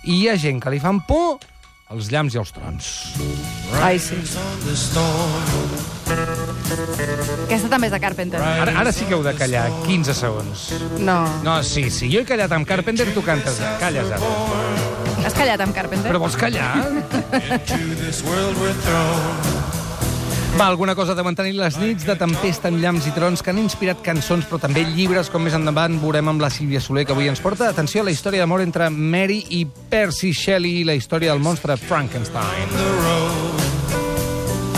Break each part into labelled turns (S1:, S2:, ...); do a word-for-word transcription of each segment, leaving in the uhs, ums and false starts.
S1: I hi ha gent que li fan por els llamps i els trons.
S2: Ai, sí. Aquesta també és de Carpenter.
S1: Ara, ara sí que heu de callar quinze segons.
S2: No.
S1: No, sí, sí. Jo he callat amb Carpenter, tu cantes. Calles ara.
S2: Has callat amb Carpenter?
S1: Però vols callar? Va, alguna cosa de mantenir les nits de tempesta amb llamps i trons que han inspirat cançons, però també llibres, com més endavant veurem amb la Sílvia Soler, que avui ens porta. Atenció a la història d'amor entre Mary i Percy Shelley, la història del monstre Frankenstein.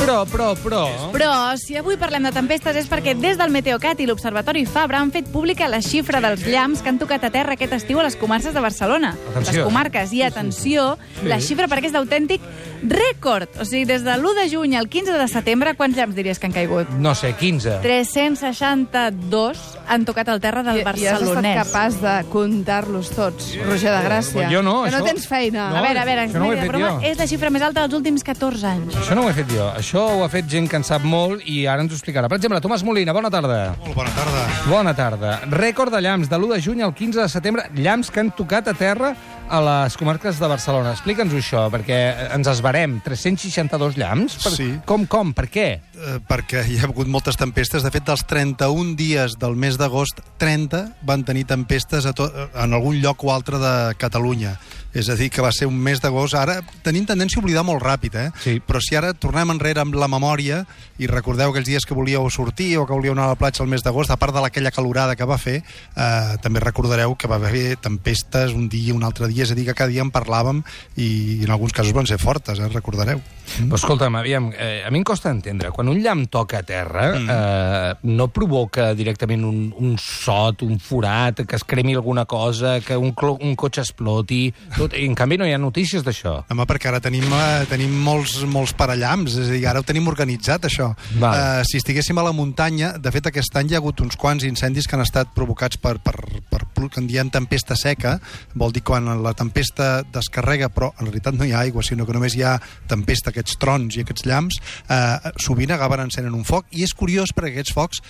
S1: Però, però, però...
S2: Però, si avui parlem de tempestes és perquè des del Meteocat i l'Observatori Fabra han fet pública la xifra dels llamps que han tocat a terra aquest estiu a les comarques de Barcelona.
S1: Atenció.
S2: Les comarques. I atenció,
S1: Sí.
S2: la xifra perquè és d'autèntic rècord. O sigui, des de l'u de juny al quinze de setembre, quants llamps diries que han caigut?
S1: No sé, quinze.
S2: tres-cents seixanta-dos han tocat al terra del
S3: I, I has
S2: barcelonès.
S3: estat capaç de comptar-los tots, Roger de Gràcia.
S1: Jo no,
S3: Que no
S1: això-
S3: tens feina.
S1: No.
S2: A veure, a veure,
S1: Això no ho he
S2: de
S1: fet
S2: broma,
S1: jo.
S2: és la xifra més alta dels últims catorze anys.
S1: Això no ho he fet jo. Això ho ha fet gent que en sap molt i ara ens ho explicarà. Per exemple, Tomàs Molina, bona tarda.
S4: Molt bona tarda.
S1: Bona tarda. Rècord de llamps de l'u de juny al quinze de setembre. Llamps que han tocat a terra a les comarques de Barcelona. Explica'ns-ho això, perquè ens esbarem. tres-cents seixanta-dos llamps? Per...
S4: Sí.
S1: Com, com? Per què?
S4: Eh, perquè hi ha hagut moltes tempestes. De fet, dels trenta-un dies del mes d'agost, trenta van tenir tempestes a to en algun lloc o altre de Catalunya. És a dir, que va ser un mes d'agost. Ara tenim tendència a oblidar molt ràpid, eh?
S1: Sí.
S4: Però si ara tornem enrere amb la memòria i recordeu aquells dies que volíeu sortir o que volíeu anar a la platja al mes d'agost, a part de aquella calorada que va fer, eh, també recordareu que va haver tempestes un dia, un altre dia, és a dir, que cada dia en parlàvem i, i en alguns casos van ser fortes, eh? Recordareu.
S1: Mm. Però escolta'm, aviam, eh, a mi em costa entendre. Quan un llamp toca a terra, mm. eh, no provoca directament un, un sot, un forat, que es cremi alguna cosa, que un, un cotxe exploti... Tot. I, en canvi, no hi ha notícies d'això.
S4: Home, perquè ara tenim, eh, tenim molts, molts parallamps, és a dir, ara ho tenim organitzat, això.
S1: Vale.
S4: Eh, si estiguéssim a la muntanya, de fet, aquest any hi ha hagut uns quants incendis que han estat provocats per, per, per, per que en diem tempesta seca, vol dir quan la tempesta descarrega, però en realitat no hi ha aigua, sinó que només hi ha tempesta, aquests trons i aquests llamps, eh, sovint acaben encenen un foc, i és curiós perquè aquests focs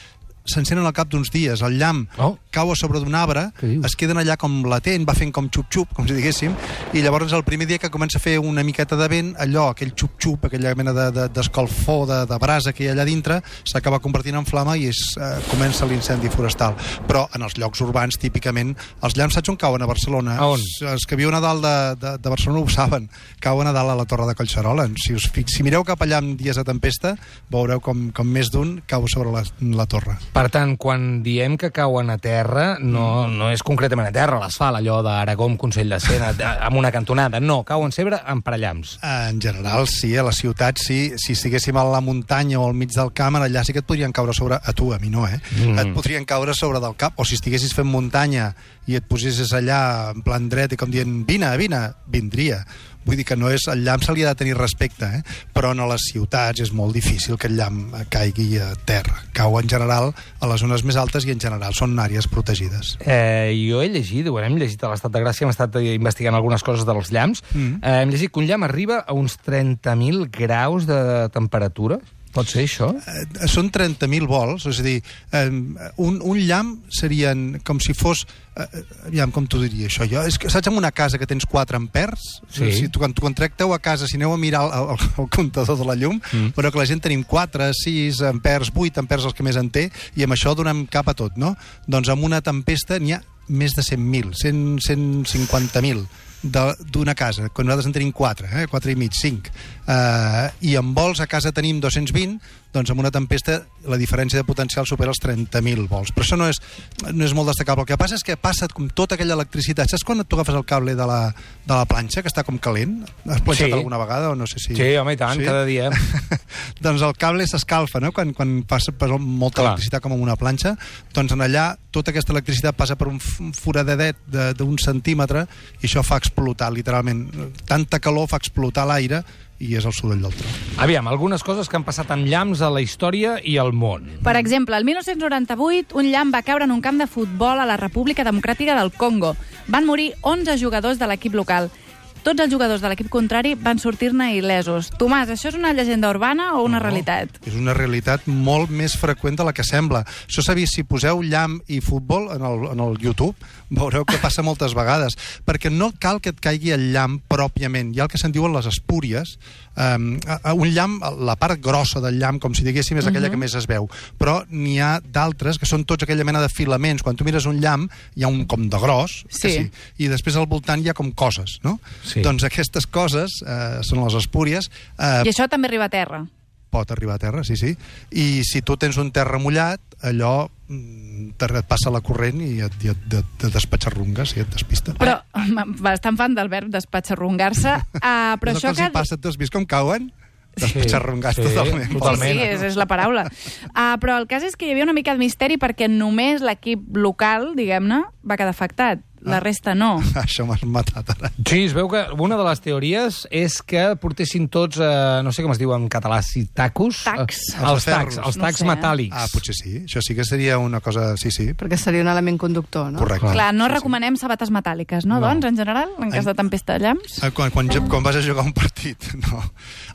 S4: s'encenen al cap d'uns dies. El llamp
S1: Oh.
S4: cau a sobre d'un arbre,
S1: Què dius?
S4: es queden allà com latent, va fent com xup-xup, com si diguéssim, i llavors el primer dia que comença a fer una miqueta de vent, allò, aquell xup-xup, aquella mena de, de, d'escalfor, de, de brasa que hi ha allà dintre, s'acaba convertint en flama i és, eh, comença l'incendi forestal. Però en els llocs urbans, típicament, els llamps saps on cauen a Barcelona?
S1: A on?
S4: Els, els que viuen a dalt de, de, de Barcelona ho saben, cauen a dalt a la Torre de Collserola. Si, us, fi- si mireu cap allà en dies de tempesta, veureu com, com més d'un cau sobre la, la torre.
S1: Per tant, quan diem que cauen a terra, no, no és concretament a terra, l'asfalt, allò d'Aragó amb Consell de Cent, amb una cantonada. No, cauen sempre en parallamps.
S4: En general, sí, a la ciutat, sí. Si estiguéssim a la muntanya o al mig del camp, allà sí que et podrien caure sobre... A tu, a mi no, eh?
S1: Mm.
S4: Et podrien caure sobre del cap. O si estiguessis fent muntanya i et posessis allà en plan dret i com dient, vine, vine, vindria. Vull dir que no és, el llamp se li ha de tenir respecte, eh? Però en les ciutats és molt difícil que el llamp caigui a terra. Cau en general a les zones més altes i en general són àrees protegides.
S1: Eh, jo he llegit, ho hem llegit a l'Estat de Gràcia, hem estat investigant algunes coses dels llamps, mm. eh, hem llegit que un llamp arriba a uns trenta mil graus de temperatura. Pot ser això?
S4: Eh, són trenta mil volts, és a dir, eh, un, un llamp serien com si fos... Eh, aviam, com t'ho diria això? Jo, és que, saps, en una casa que tens quatre ampers?
S1: Sí.
S4: Si tu, quan tu contracteu a casa, si aneu a mirar el, el, el comptador de la llum, mm. però que la gent tenim quatre, sis ampers, vuit ampers, els que més en té, i amb això donem cap a tot, no? Doncs amb una tempesta n'hi ha més de cent mil, cent, cent cinquanta mil d'una casa, quan nosaltres en tenim quatre, eh? quatre i mig, cinc. Uh, I amb vols a casa tenim dos-cents vint, doncs amb una tempesta la diferència de potencial supera els trenta mil volts. Però això no és, no és molt destacable. El que passa és que passa com tota aquella electricitat. Saps quan tu agafes el cable de la, de la planxa, que està com calent? Has planxat
S1: Sí.
S4: alguna vegada o no sé si...
S1: Sí, home, i tant, cada dia.
S4: Doncs el cable s'escalfa, no? Quan, quan passa per molta
S1: Clar.
S4: electricitat com en una planxa, doncs en allà tota aquesta electricitat passa per un f- foradedet de- d'un centímetre i això fa explotar, literalment. Tanta calor fa explotar l'aire i és el soroll del tro.
S1: Aviam, algunes coses que han passat amb llamps a la història i al món.
S2: Per exemple, el mil nou-cents noranta-vuit, un llamp va caure en un camp de futbol a la República Democràtica del Congo. Van morir onze jugadors de l'equip local. tots els jugadors de l'equip contrari van sortir-ne il·lesos. Tomàs, això és una llegenda urbana o una
S4: No,
S2: realitat?
S4: És una realitat molt més freqüent de la que sembla. Això s'ha vist, si poseu llamp i futbol en el, en el YouTube, veureu que passa moltes vegades, perquè no cal que et caigui el llamp pròpiament. Hi ha el que se'n diuen les espúries. Um, un llamp, la part grossa del llamp, com si diguéssim, és aquella uh -huh. que més es veu. Però n'hi ha d'altres que són tots aquella mena de filaments. Quan tu mires un llamp, hi ha un com de gros,
S2: Sí.
S4: que sí, i després al voltant hi ha com coses, no?
S1: Sí.
S4: Doncs aquestes coses eh, són les espúries. Eh,
S2: I això també arriba a terra.
S4: pot arribar a terra, sí, sí. I si tu tens un terra mullat, allò mm, et passa la corrent i et, i et, et, et despatxarrungues i et despista.
S2: Però, bastant fan del verb despatxarrungar-se, uh, però
S4: és el que
S2: això
S4: els hi passa, tu has vist com cauen? Despatxarrungats
S1: sí,
S4: totalment.
S1: totalment.
S2: Sí, sí, és, és la paraula. Uh, però el cas és que hi havia una mica de misteri perquè només l'equip local, diguem-ne, va quedar afectat. La resta no.
S4: Això m'has matat ara.
S1: Sí, es veu que una de les teories és que portessin tots, eh, no sé com es diu en català, si tacos?
S2: Tacs.
S1: Eh, els
S4: Els
S1: tacs,
S4: ferros.
S1: els
S2: No
S1: tacs
S2: sé.
S1: metàl·lics.
S4: Ah, potser sí. Això sí que seria una cosa... Sí, sí,
S3: Perquè seria un element conductor, no?
S4: correcte.
S2: Clar, no
S4: Sí, sí.
S2: recomanem sabates metàl·liques, no,
S1: No.
S2: doncs, en general, en cas de tempesta de llamps?
S4: Eh, Quan, quan, quan vas a jugar un partit, no.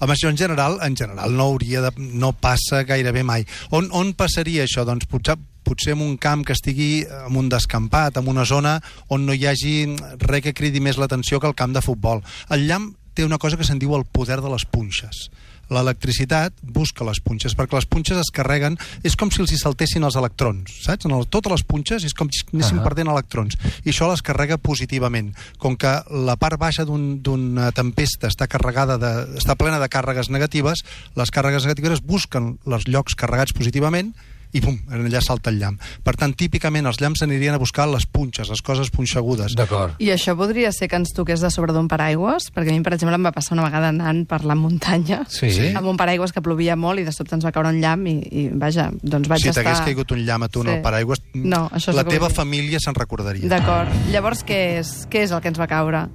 S4: Home, això en general, en general no hauria de... no passa gairebé mai. On, on passaria això? Doncs potser, potser en un camp que estigui en un descampat, en una zona on no hi hagi res que cridi més l'atenció que el camp de futbol. El llamp té una cosa que se'n diu el poder de les punxes. L'electricitat busca les punxes, perquè les punxes es carreguen, és com si els hi saltessin els electrons, saps? En el, totes les punxes és com si anessin
S1: Uh-huh.
S4: perdent electrons, i això les carrega positivament. Com que la part baixa d'un- d'una tempesta està carregada de, està plena de càrregues negatives, les càrregues negatives busquen els llocs carregats positivament i pum, allà salta el llamp. Per tant, típicament els llamps anirien a buscar les punxes, les coses punxegudes.
S1: D'acord.
S3: I això podria ser que ens toqués de sobre d'un paraigües? Perquè a mi, per exemple, em va passar una vegada anant per la muntanya
S1: Sí.
S4: Sí.
S3: amb un paraigües que plovia molt i de sobte ens va caure un llamp i, i vaja, doncs vaig
S4: Si
S3: estar...
S4: t'hagués caigut un llamp a tu en
S3: Sí.
S4: el paraigües,
S3: No, això és
S4: la
S3: el que
S4: teva
S3: vull dir.
S4: família se'n recordaria.
S3: D'acord. Llavors, què és? Què és el que ens va caure?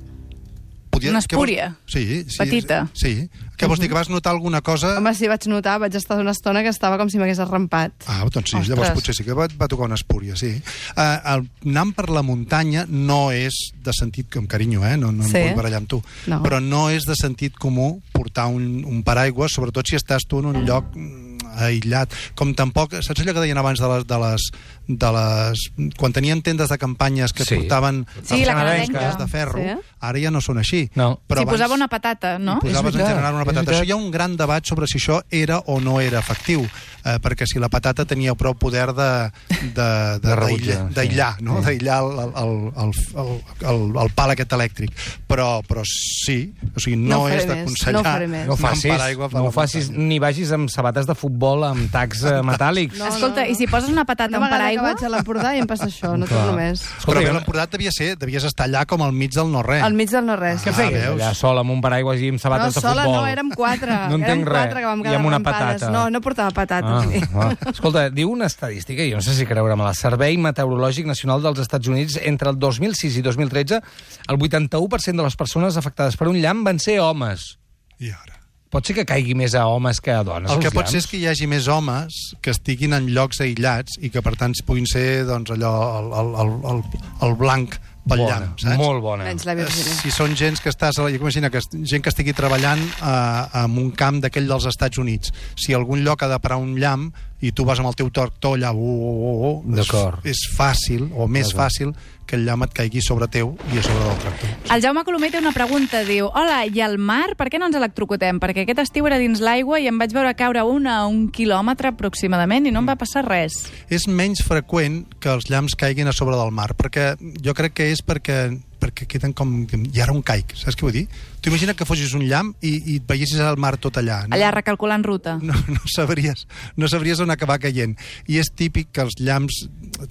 S4: Podia-
S2: Una
S4: què vols-
S2: espúria.
S4: Sí, sí.
S2: Petita.
S4: Sí. Què vols dir, que vas notar alguna cosa?
S3: Home, sí, vaig notar, vaig estar una estona que estava com si m'hagués arrampat.
S4: Ah, doncs sí,
S3: Ostres.
S4: llavors potser sí que va, va tocar una espúria, sí. Uh, el, anant per la muntanya no és de sentit, amb carinyo, eh? no, no
S3: Sí.
S4: em vull barallar amb tu,
S3: No.
S4: però no és de sentit comú portar un, un paraigua, sobretot si estàs tu en un lloc mm, aïllat. Com tampoc, saps allò que deien abans de les... De les, de les quan tenien tendes de campanyes que
S1: Sí.
S4: portaven
S2: Sí, la
S1: canadenca.
S2: canadenca.
S4: de ferro,
S3: Sí.
S4: ara ja no són així.
S1: No.
S4: Però
S2: Si
S4: abans-
S2: posava una patata, no?
S4: i posaves
S1: És
S4: en
S1: veritat,
S4: general una
S1: és
S4: patata.
S1: veritat.
S4: Això hi ha un gran debat sobre si això era o no era efectiu, eh, perquè si la patata tenia prou poder de, de, de,
S1: De rebutjar,
S4: d'aïllar, d'aïllar,
S1: sí.
S4: no?
S1: Sí.
S4: d'aïllar el, el, el, el, el, el pal aquest elèctric. Però, però sí, o sigui, no,
S3: No ho faré
S4: és
S3: més,
S4: d'aconsellar
S3: no ho faré més.
S1: No ho
S4: anar amb
S1: facis,
S4: paraigua per
S1: no
S4: la
S1: ho facis
S4: muntanya.
S1: ni vagis amb sabates de futbol amb tacs eh, metàl·lics.
S3: No,
S2: Escolta,
S3: no, no.
S2: i si poses una patata
S3: Una
S2: a un
S3: vegada que
S2: paraigua...
S3: vaig a l'Empordà i em passa això, no
S1: Clar.
S3: torno més.
S4: Però
S1: Escolta,
S4: a l'Empordà devia ser, devies estar allà com al mig del no-res.
S3: Al mig del no-res.
S1: Què
S4: Ah,
S1: feies
S4: veus?
S1: allà sola amb un paraigua i amb
S3: No,
S1: sabates de
S3: sola
S1: futbol?
S3: no, érem quatre.
S1: No
S3: érem
S1: entenc res.
S3: quatre que vam
S1: I
S3: quedar
S1: amb una
S3: arrampades.
S1: patata.
S3: No, no portava patata.
S1: Ah,
S3: sí.
S1: ah. Escolta, diu una estadística, jo no sé si creure-me-la, el Servei Meteorològic Nacional dels Estats Units, entre el dos mil sis i dos mil tretze, el vuitanta-u per cent de les persones afectades per un llamp van ser homes.
S4: I ara?
S1: Pot ser que caigui més a homes que a dones,
S4: El que
S1: els
S4: pot ser
S1: llamps?
S4: és que hi hagi més homes que estiguin en llocs aïllats i que, per tant, puguin ser doncs, allò, el, el, el, el, el blanc pel
S1: Bona,
S4: llamp, saps?
S1: molt bona.
S3: Menys la
S4: Eh,
S3: Virgínia.
S4: Si són gens que estàs... Imagina que gent que estigui treballant eh, en un camp d'aquell dels Estats Units. Si algun lloc ha de parar un llamp i tu vas amb el teu tractor allà, uh, uh, uh,
S1: D'acord.
S4: és, és fàcil, o més
S1: D'acord.
S4: fàcil, que el llamp et caigui sobre teu i a sobre del tractor.
S2: El Jaume Colomer té una pregunta, diu: hola, i al mar, per què no ens electrocutem? Perquè aquest estiu era dins l'aigua i em vaig veure caure un a un quilòmetre aproximadament i no em va passar res.
S4: És menys freqüent que els llamps caiguin a sobre del mar, perquè jo crec que és perquè perquè queden com... I ara un caic, saps què vull dir? Tu imagina que fossis un llamp i, i et veiessis al mar tot allà. No?
S2: Allà recalculant ruta.
S4: No, no, sabries, no sabries on acabar caient. I és típic que els llamps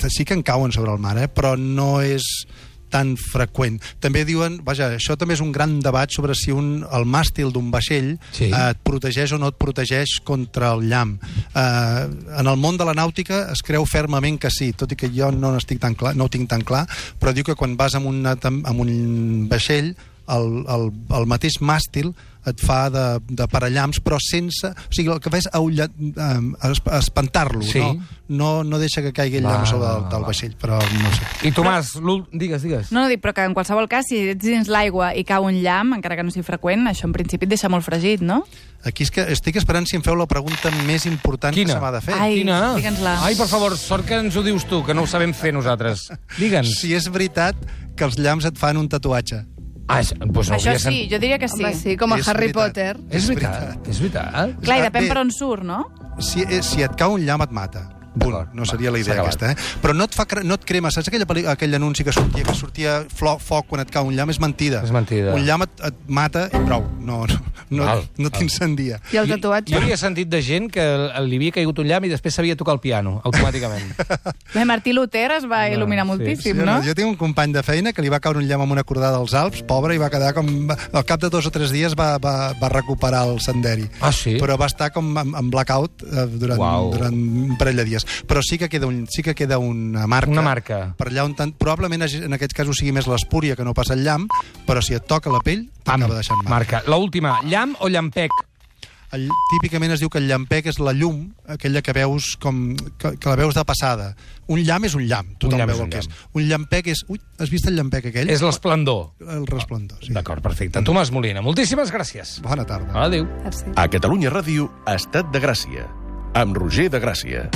S4: sí que en cauen sobre el mar, eh? Però no és tan freqüent. També diuen, vaja, això també és un gran debat sobre si un, el màstil d'un vaixell
S1: Sí.
S4: eh, et protegeix o no et protegeix contra el llamp. Eh, en el món de la nàutica es creu fermament que sí, tot i que jo no n'estic tan clar, no ho tinc tan clar, però diu que quan vas amb, una, amb un vaixell el, el, el mateix màstil et fa de, de parallamps, però sense... O sigui, el que fa és aullar, eh, espantar-lo,
S1: Sí.
S4: no? no? No deixa que caigui el llamp
S1: Va,
S4: sobre
S1: va,
S4: del, del
S1: va.
S4: vaixell, però no sé.
S1: I Tomàs, l'úl- digues, digues.
S2: No, no, dic, però que en qualsevol cas, si ets dins l'aigua i cau un llamp, encara que no sigui freqüent, això en principi et deixa molt fregit, no?
S4: Aquí és que estic esperant si em feu la pregunta més important
S1: Quina?
S4: que se m'ha de fer.
S2: Ai,
S1: Quina?
S2: digue'ns-la.
S1: Ai, per favor, sort que ens ho dius tu, que no ho sabem fer nosaltres. Digue'ns.
S4: Si és veritat que els llamps et fan un tatuatge.
S1: Ah, és- doncs no
S2: Això
S1: hauria
S2: sí,
S1: sent-
S2: jo diria que sí.
S3: Home, sí, com a
S4: És
S3: Harry
S4: veritat.
S3: Potter.
S1: És veritat, és veritat.
S2: Clar, i depèn
S4: Bé,
S2: per on surt, no?
S4: Si, eh, si et cau un llamp et mata. Punt.
S1: D'acord,
S4: No
S1: va,
S4: seria la
S1: s'ha
S4: idea
S1: acabat.
S4: aquesta, eh? Però no et, fa, cre- no et crema. Saps aquella, pel·li- aquell anunci que sortia, que sortia flo, foc quan et cau un llamp? És mentida.
S1: És mentida.
S4: Un llamp et, et mata i prou. No, no, no,
S1: Val,
S4: no
S1: val.
S4: t'incendia.
S3: I el
S1: Jo-
S3: tatuatge?
S1: Jo havia sentit de gent que li havia caigut un llamp i després sabia tocar el piano, automàticament.
S2: Bé, Martí Luter es va
S1: No,
S2: il·luminar
S1: sí,
S2: moltíssim,
S4: Sí,
S2: no?
S4: Jo tinc un company de feina que li va caure un llamp amb una cordada als Alps, pobre, i va quedar com... Al cap de dos o tres dies va, va, va recuperar el senderi.
S1: Ah, sí?
S4: Però va estar com en, en blackout eh, durant,
S1: Uau.
S4: durant un parell de dies. Però sí que queda, un, sí que queda una marca.
S1: Una marca.
S4: Per allà on tant... Probablement hagi- en aquests casos sigui més l'espúria que no passa el llamp, però si et toca la pell,
S1: Pam,
S4: t'acaba deixant marca.
S1: marca. L'última, llamp o llampec?
S4: El, típicament es diu que el llampec és la llum, aquella que veus com... que, que la veus de passada. Un llamp és un llamp, tothom
S1: llamp és
S4: veu
S1: un
S4: el que és.
S1: llamp.
S4: Un llampec és... Ui, has vist el llampec aquell?
S1: És l'esplendor.
S4: El resplendor, sí.
S1: D'acord, perfecte. Tomàs Molina, moltíssimes gràcies.
S4: Bona tarda.
S1: Adéu.
S3: Merci.
S5: A Catalunya Ràdio, Estat de Gràcia, amb Roger de Gràcia.